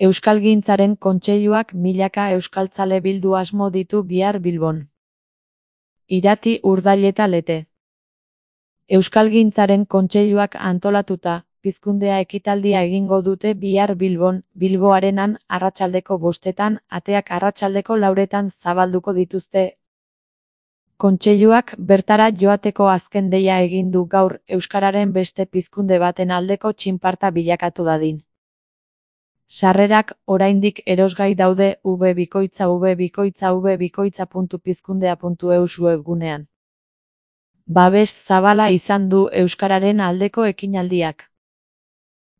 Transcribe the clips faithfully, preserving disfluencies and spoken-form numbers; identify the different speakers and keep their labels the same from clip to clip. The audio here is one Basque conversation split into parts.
Speaker 1: Euskalgintzaren Kontseiluak milaka euskaltzale bildu asmo ditu bihar Bilbon. Irati, Urdail Lete. Euskalgintzaren Kontseiluak antolatuta, pizkundea ekitaldia egingo dute bihar Bilbon, Bilbo Arenan, arratsaldeko bostetan, ateak arratsaldeko lauretan zabalduko dituzte. Kontseiluak bertara joateko azken deia egin du gaur euskararen beste pizkunde baten aldeko txinparta bilakatu dadin. Sarrerak oraindik erosgai daude w bikoitza w bikoitza w bikoitza puntu pizkundea puntu eus webgunean. Babes zabala izan du euskararen aldeko ekinaldiak.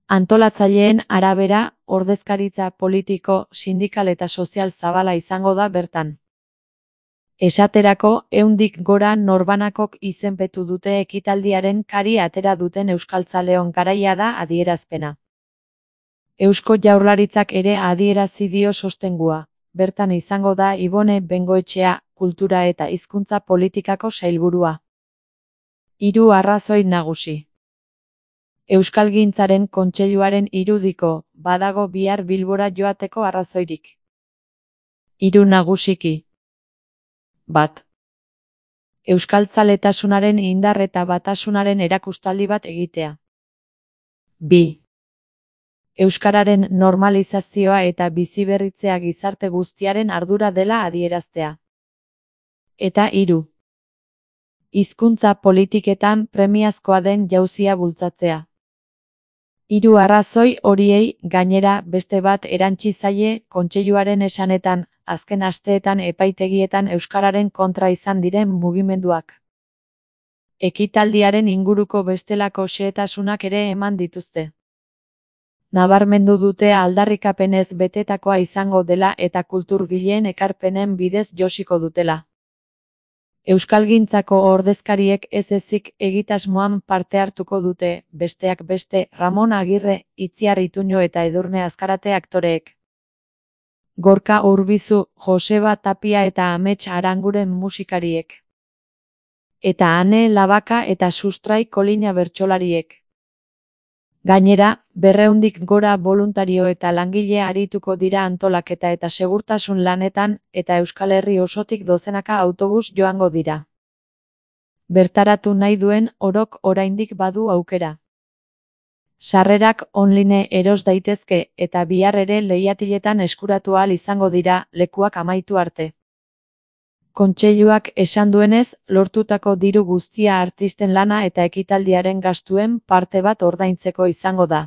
Speaker 1: Antolatzaileen arabera, ordezkaritza politiko, sindikal eta sozial zabala izango da bertan. Esaterako, ehundik gora norbanakok izenpetu dute ekitaldiaren kari atera duten euskaltzaleon garaia da adierazpena. Eusko Jaurlaritzak ere adierazi dio sostengua. Bertan izango da Ibone Bengoetxea, kultura eta hizkuntza politikako sailburua. Hiru arrazoi nagusi. Euskalgintzaren Kontseiluaren irudiko, badago bihar Bilbora joateko arrazoirik. Hiru nagusiki. Bat. Euskaltzaletasunaren indar eta batasunaren erakustaldi bat egitea. Bi. Euskararen normalizazioa eta biziberritzea gizarte guztiaren ardura dela adieraztea. Eta hiru. Hizkuntza politiketan premiazkoa den jauzia bultzatzea. Hiru arrazoi horiei, gainera, beste bat erantsi zaie Kontseiluaren esanetan, azken asteetan epaitegietan euskararen kontra izan diren mugimenduak. Ekitaldiaren inguruko bestelako xehetasunak ere eman dituzte. Nabarmendu dute aldarrikapenez betetakoa izango dela eta kulturgileen ekarpenen bidez josiko dutela. Euskalgintzako ordezkariek ez ezik egitasmoan parte hartuko dute, besteak beste, Ramon Agirre, Itziar Ituño eta Edurne Azkarate aktoreek. Gorka Urbizu, Joseba Tapia eta Amets Aranguren musikariek. Eta Ane Labaka eta Sustrai Kolina bertsolariek. Gainera, berrehundik gora boluntario eta langile arituko dira antolaketa eta segurtasun lanetan, eta Euskal Herri osotik dozenaka autobus joango dira. Bertaratu nahi duen orok oraindik badu aukera. Sarrerak online eros daitezke eta bihar ere leihatiletan eskuratu ahal izango dira lekuak amaitu arte. Kontseiluak esan duenez, lortutako diru guztia artisten lana eta ekitaldiaren gastuen parte bat ordaintzeko izango da.